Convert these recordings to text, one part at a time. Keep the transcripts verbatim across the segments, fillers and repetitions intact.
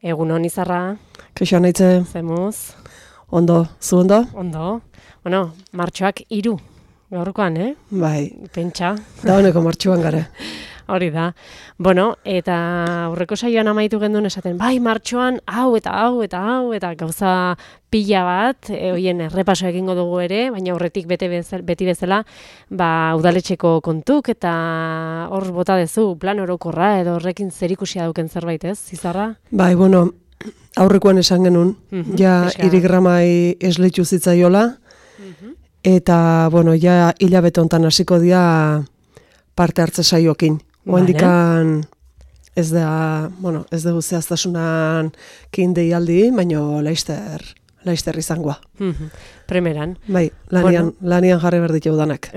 Egun hon izarra. Kaixo naitze. Zemuz. Ondo, zu ondo? Ondo. Bueno, martxoak hiru. Gaurkoan, eh? Bai. Pentsa. Da honeko martxoan gara. Hori da. Bueno, eta aurreko saioan amaitu genduen esaten, bai, martxoan hau eta hau eta hau eta gauza pila bat, e, hoien errepaso egingo dugu ere, baina horretik bete bezala, beti bezala, ba, udaletxeko kontuk eta hor bota dezu, plan orokorra edo horrekin zerikusia dauken zerbait, ez, Zizarra? Bai, bueno, aurrekoan esan genuen, Mhm, ja eska. irigramai esleitu zitzaiola, Mhm. eta, bueno, ja hilabete hontan hasiko dira parte hartze saioekin. Oendikan ez da, bueno, ez dugu zehaztasunan kin deialdi, baina laister, laister izangoa. Mhm. Primeran. Bai, lanian, lanian jarri behar ditu danak.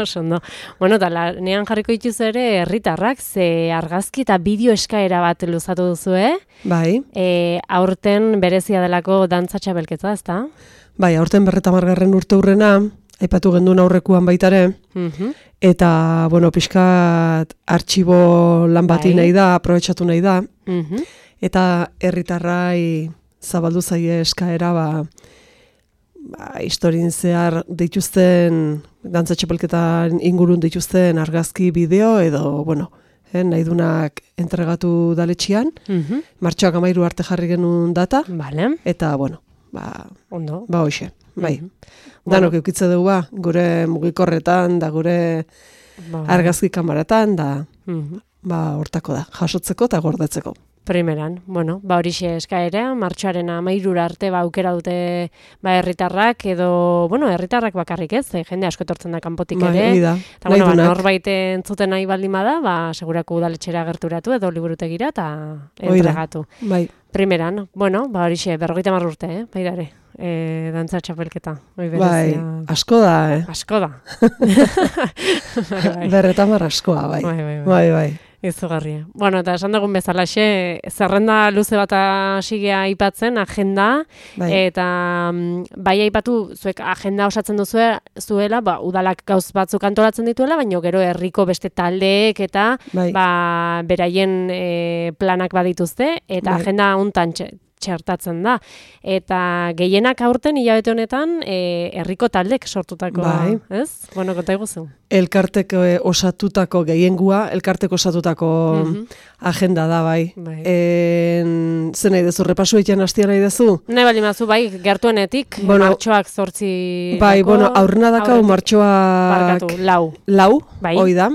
Oso ondo. Bueno, eta lanean jarriko dituz ere herritarrak, ze argazki eta bideo eskaera bat luzatu duzu, eh? Bai, E, aurten berezia delako dantza txapelketa, ezta? bai, aurten berretamargarren urte hurrena, aipatu genduen aurrekuan baitare, Mhm. eta, bueno, pixkat artxibo lan bati Bai. nahi da, aprobetxatu nahi da, Mhm. eta herritarrai zabaldu zaie eskaera, ba, ba, historien zehar dituzten, dantza txapelketan ingurun dituzten argazki bideo, edo, bueno, eh, nahi dunak entregatu daletxian, Mhm. martxoak amairu arte jarri genuen data, Vale. eta, bueno, ba, Ondo. ba hoxe, bai. Mhm. Danok eukitze dugu, ba, gure mugikorretan, da gure Ba, argazki kamaratan, da, mhm. ba, hortako da, jasotzeko eta gordetzeko. Primeran, bueno, ba horixe eskaera, martxoaren amairura arte ba aukera dute ba herritarrak edo, bueno, herritarrak bakarrik ez, ze jende asko etortzen da kanpotik Bai, ere. hori da, Eta nahi bueno, ba, dunak. norbait entzuten nahi baldin bada, ba segurako udaletxera gerturatu edo liburutegira eta Hori da. entregatu. Bai, Primeran, bueno, ba horixe berrogeita hamar urte, eh, baidare. Eh, dantza txapelketa. Hoi bai, berezia. asko da, eh? Asko da. bai, bai. Berretamar askoa, bai. Bai, bai, bai. Bai, bai. Izugarria. Bueno, eta esan dugun bezalaxe, zerrenda luze bat hasigea aipatzen, agenda, Bai. eta mm, bai aipatu, zuek agenda osatzen duzue, zuela, ba, udalak gauz batzuk antolatzen dituela, baina gero herriko beste taldeek eta Bai. ba, beraien e, planak badituzte, eta Bai. agenda hontan txe- txertatzen da. Eta gehienak aurten hilabete honetan e, herriko taldek sortutako, Bai. ez? Bueno, konta iguzu. Elkarteko eh, osatutako gehiengua, elkarteko osatutako Mhm. agenda da, bai. Bai. En, zen nahi dezu, repasu egiten hastia nahi dezu? Nahi bali mazu, bai, gertuenetik, Bueno, martxoak zortzi... Bai, bueno, aurrena dakau aurretik- martxoak Barkatu, lau. lau, Bai. hoi da.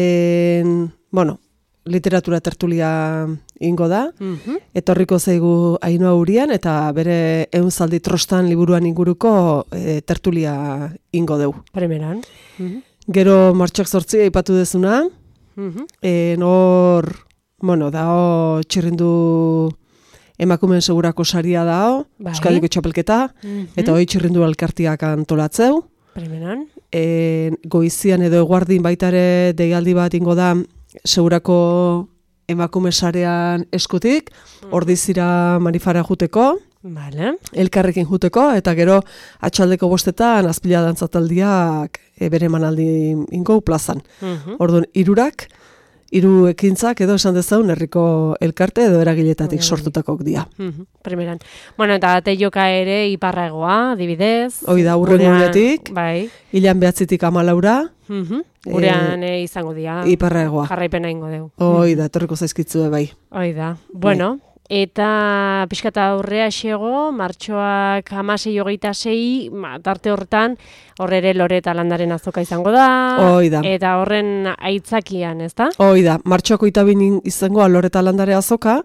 En, bueno, literatura tertulia ingo da. Mhm. Etorriko zaigu Ainhoa Urian eta bere ehunzaldi trostan liburuan inguruko e, tertulia ingo deu. Primeran. Mhm. Gero martxoak zortzi aipatu dezuna, Mhm. e, nor, bueno, dao txirrindu emakumeen segurako saria dao, Bai. Euskadiko txapelketa, Mhm. eta hoi txirrindu elkartiak antolatzeu. Primeran. E, goizian edo eguardin baitare deialdi bat ingo da segurako emakume sarean eskutik, ordizira manifara juteko, Vale. elkarrekin juteko, eta gero atxaldeko bostetan azpila dantzataldiak e, bere manaldi ingo plazan. Mhm. Orduan, hirurak, hiru ekintzak edo esan dezaun herriko elkarte edo eragiletatik Bai. sortutakok dira. Mhm. Primeran. Bueno, eta teioka ere iparragoa, adibidez. Hoi da, hurrengo Gurean- unetik. Bai. Hilan behatzitik amalaura, Mhm. Gurean eh, izango dira. iparraegoa. Jarraipena ingo deu. Hoi da, etorriko zaizkitzue bai. Hoi da. Bueno, eta pixkata aurrea xego, martxoak hamasei hogeita sei, ma, tarte horretan, horre ere lore eta landaren azoka izango da. Hoi da. Eta horren aitzakian, ez da? Hoi da, martxoako itabin izango aloreta landare azoka,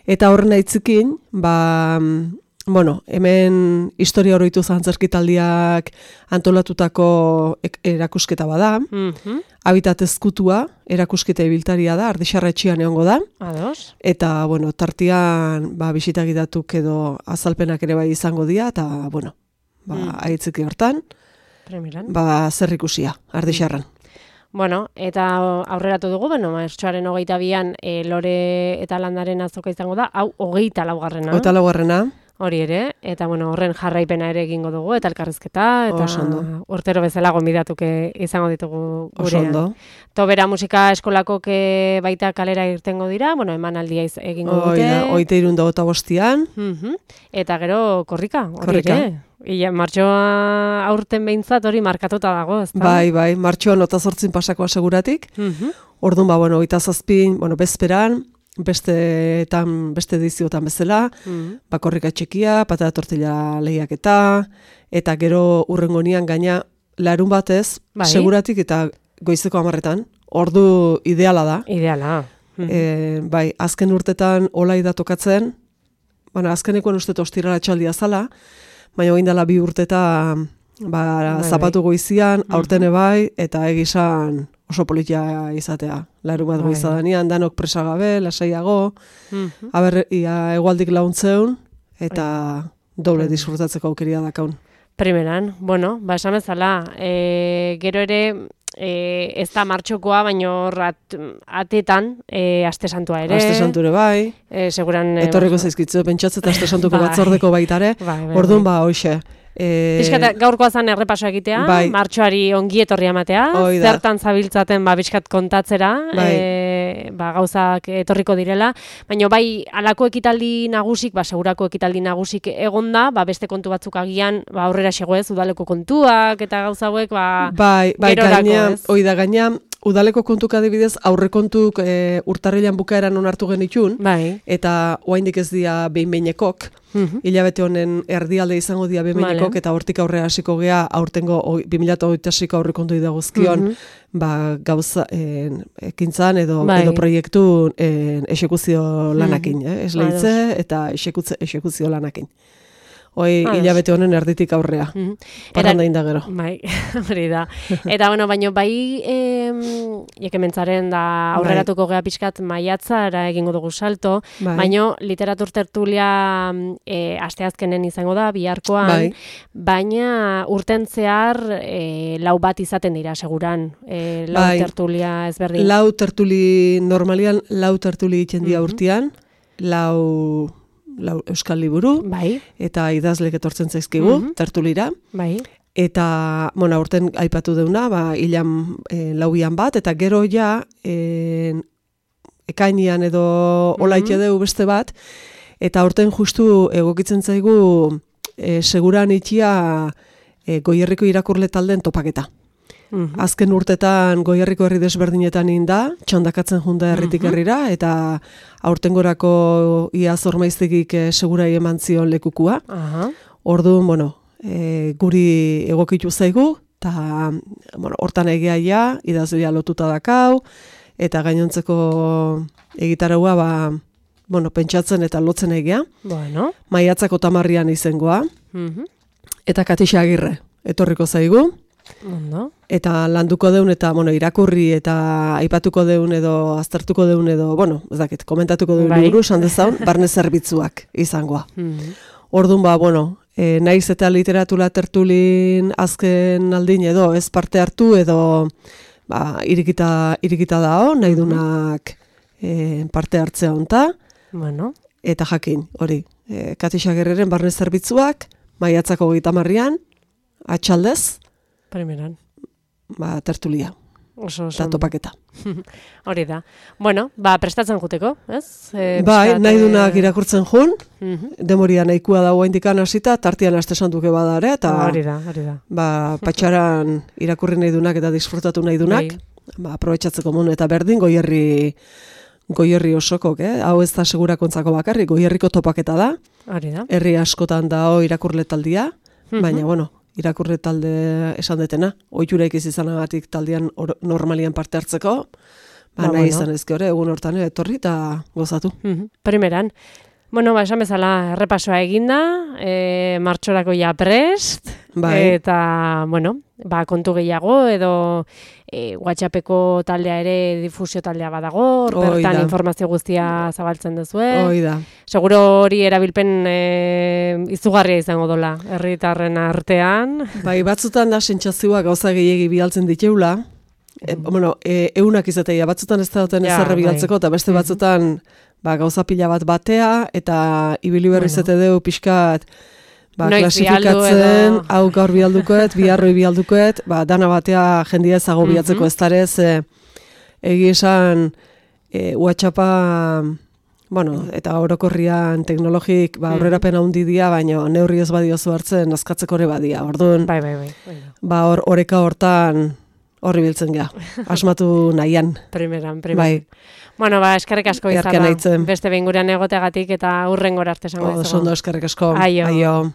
eta horren aitzikin, ba, mm, bueno, hemen historia oroitu zantzerkitaldiak antolatutako ek- erakusketa bada, Mhm. habitat ezkutua erakusketa ibiltaria da, Ardixarretxean egongo da, Ados. eta, bueno, tartian, ba, bisitagidatuk edo azalpenak ere bai izango dira, eta, bueno, ba, Mm. aitziki hortan, Primeran. ba, zer ikusia, Ardixarran. Bueno, eta aurreratu dugu, bueno, martxoaren hogeita bian e, lore eta landaren azoka izango da, hau hogeita laugarrena. Eta laugarrena, hori ere, eta bueno, horren jarraipena ere egingo dugu, eta elkarrizketa, eta urtero bezala gonbidatuke izango ditugu gurean. Oso ondo. Tobera musika eskolako baita kalera irtengo dira, bueno, emanaldia egingo dute. Oida, oite irunda gota bostian. Uh-huh. Eta gero korrika, hori ere. Ia, martxoa aurten behintzat hori markatuta dago, ez da? Bai, bai, martxoan ota zortzin pasako aseguratik. Uh-huh. Orduan, ba, bueno, oita zazpin, bueno, bezperan, besteetan, beste ediziotan bezala, uh-huh. ba, korrika txekia, patata tortilla lehiaketa, eta gero urrengo nian gaina larun batez, bai? Seguratik eta goizeko hamarretan, ordu ideala da. Ideala. Uh-huh. E, bai, azken urtetan olai da tokatzen, bueno, azkenekoen uste ostirala txaldia zala, baina oindala bi urteta ba, zapatu goizian, aurtene bai, eta egizan oso politia izatea. Larun bat goizadanean, danok presagabe, lasaiago, uh-huh. aber, ia, egualdik launtzeun, eta doble disfrutatzeko aukeria dakaun. Primeran, bueno, ba, esan bezala, e, gero ere, E, ez da martxokoa, baina at, atetan e, aste santua ere. Aste santure bai. E, seguran, etorriko e, zaizkitzu, pentsatzen aste santuko bai. Batzordeko baitare. Bai, bai, orduan ba, hoxe. E, Piskat, gaurkoa zan errepaso egitea, bai. Martxoari ongi etorri ematea, zertan zabiltzaten ba, biskat kontatzera, bai. e, ba, gauzak etorriko direla, baina bai alako ekitaldi nagusik, ba, segurako ekitaldi nagusik egonda, ba, beste kontu batzuk agian ba, aurrera xegoez, udaleko kontuak eta gauza hauek, ba, bai, bai, gaina, hoi da, gaina, udaleko kontuk adibidez, aurrekontuk e, urtarrilan bukaeran onartu genitun, bai. Eta oaindik ez dia behin-behinekok, uh-huh. hilabete honen erdialde izango dia behin-behinekok, vale. Eta hortik aurrera hasiko gea, aurtengo bi mila hogeita seiko aurrekontu idagozkion, uh-huh. ba, gauza en, ekintzan edo, bai. Edo proiektu en, esekuzio lanakin, uh-huh. eh? Ez lehitze eta esekuzio lanakin. Hoi hilabete honen erditik aurrea. Mm-hmm. Parranda inda gero. Bai, hori da. Eta, bueno, baino, bai, jekementzaren da aurreratuko bai. Gea pixkat maiatzara egingo dugu salto, bai. Baino, literatur tertulia e, asteazkenen izango da, biharkoan, bai. Baina urten zehar e, lau bat izaten dira, seguran, e, lau bai. Tertulia ezberdin. Lau tertuli, normalian, lau tertuli egiten dira mm-hmm. urtean, lau... Lau, euskal liburu, bai. Eta idazlek etortzen zaizkigu, mm-hmm. tertulira. Bai. Eta, bueno, aurten aipatu deuna, ba, hilan e, lauian bat, eta gero ja, e, ekainian edo mm-hmm. olaike deu beste bat, eta aurten justu egokitzen zaigu e, seguran itxia e, Goierriko irakurle taldeen topaketa. Mm-hmm. Azken urtetan Goierriko herri desberdinetan inda, txandakatzen junda herritik mm-hmm. herrira, eta aurtengorako ia zormaiztegik e, segurai eman zion lekukua. Uh-huh. Orduan, bueno, e, guri egokitu zaigu, eta bueno, hortan egiaia, idazlea lotuta dakau, eta gainontzeko egitaragua, ba, bueno, pentsatzen eta lotzen egia. Bueno. Maiatzako tamarrian izengoa, mm-hmm. eta Katixa Agirre etorriko zaigu. Ondo. Eta landuko deun eta bueno, irakurri eta aipatuko deun edo aztertuko deun edo, bueno, ez dakit, komentatuko deun bai. Liburu, esan dezaun, barne zerbitzuak izangoa. Mm-hmm. Orduan ba, bueno, e, naiz eta literatura tertulin azken aldin edo ez parte hartu edo ba, irikita, irikita dao, nahi dunak e, parte hartzea honta. Bueno. Eta jakin, hori, e, Katixa Agirreren barne zerbitzuak, maiatzako hogeita hamarrean, atxaldez, primeran. Ba, tertulia. Oso, oso. Eta topaketa. Hori da. Bueno, ba, prestatzen juteko, ez? E, bai, nahi dunak irakurtzen jun, uh-huh. demoria nahikua dago indikan hasita, tartian aste santuke badare, eta hori da, hori da. Ba, patxaran irakurri nahi dunak eta disfrutatu nahi dunak, bai. Ba, aprobetxatzeko mun, eta berdin, goierri, goierri osokok, eh? Hau ez da segurakontzako bakarrik, goierriko topaketa da. Hori da. Herri askotan da ho irakurle taldia, uh-huh. baina, bueno, irakurre talde esan detena, ohitura ikiz izanagatik taldean or, normalian parte hartzeko, ba, ba nahi bueno. Izan ezke hori, egun hortan etorri eta gozatu. Mm-hmm. Primeran, bueno, ba, esan bezala errepasoa eginda, e, martxorako ja prest, bai. Eta, bueno, ba, kontu gehiago edo e, WhatsAppeko taldea ere difusio taldea badago, bertan informazio guztia zabaltzen duzue. Hoi da. Seguro hori erabilpen e, izugarria izango dola, herritarren artean. Bai, batzutan da sentsazioa gauza gehiegi bidaltzen diteula. E, bueno, e, eunak izatea, batzutan ez da duten ezerre bidaltzeko, eta beste batzutan ba, gauza pila bat batea, eta ibili berriz Bueno. ete deu pixkat, ba, Noiz klasifikatzen, bialdu edo- hau gaur bialdukoet, biharroi bialdukoet, ba, dana batea jendia ezago bilatzeko Mhm. ez darez, e, egi esan, e, WhatsAppa, bueno, eta orokorrian teknologik, ba, Mhm. aurrerapen handi dia, baina neurri ez badiozu hartzen, azkatzeko ere badia, orduan, Bai, bai, bai. bai. ba, hor, oreka hortan, horri biltzen gea, asmatu nahian. Primeran, primeran. Bai, Bueno, ba, eskerrik asko Erken izarra. aitzen. Beste behin gurean egoteagatik eta hurrengora arte esango oso dizugu. ondo eskerrik asko. Aio. Aio.